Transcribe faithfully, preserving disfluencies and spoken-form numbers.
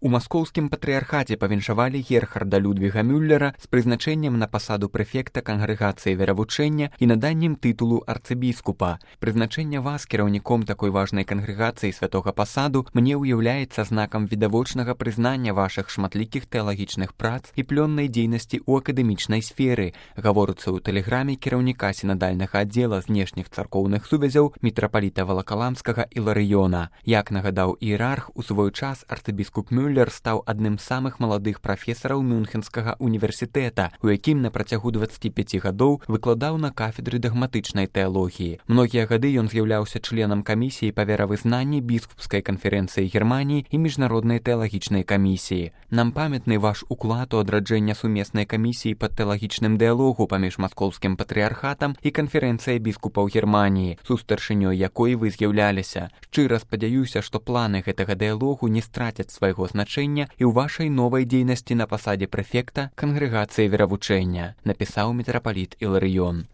У маскоўскім патрыярхаце павіншавалі Герхарда Людвіга Мюллера з прызначэннем на пасаду прэфекта кангрэгацыі веравучэння і наданнем тытулу арцыбіскупа. Прызначэнне вас кіраўніком такой важнай кангрэгацыі святога пасаду мне ўяўляецца знакам відавочнага прызнання вашых шматлікіх тэалагічных прац і плённай дзейнасці ў акадэмічнай сферы, гаворыцца ў тэлеграме кіраўніка сінадальнага аддзела знешніх царкоўных сувязяў мітрапаліта Валакаламскага Іларыёна. Як нагадаў іерарх, у свой час арцыбіскуп Мюллер Мюллер стаў адным з самых маладых прафесараў Мюнхенскага універсітэта, у якім на працягу дваццаці пяці гадоў выкладаў на кафедры дагматычнай тэалогіі. Многія гады ён з'яўляўся членам камісіі па веравызнанні біскупскай канферэнцыі Германіі і міжнароднай тэалагічнай камісіі. Нам памятны ваш уклад у адраджэння сумеснай камісіі па тэалагічным дыялогу паміж маскоўскім патрыярхатам і канферэнцыяй біскупаў Германіі, сустаршынёй якой вы з'яўляліся. Шчыра спадзяюся, што планы гэтага дыялогу не страцяць свайго значэння значэння і ў вашай новай дзейнасці на пасадзе прэфекта кангрэгацыі веравучэння, напісаў мітрапаліт Іларыён.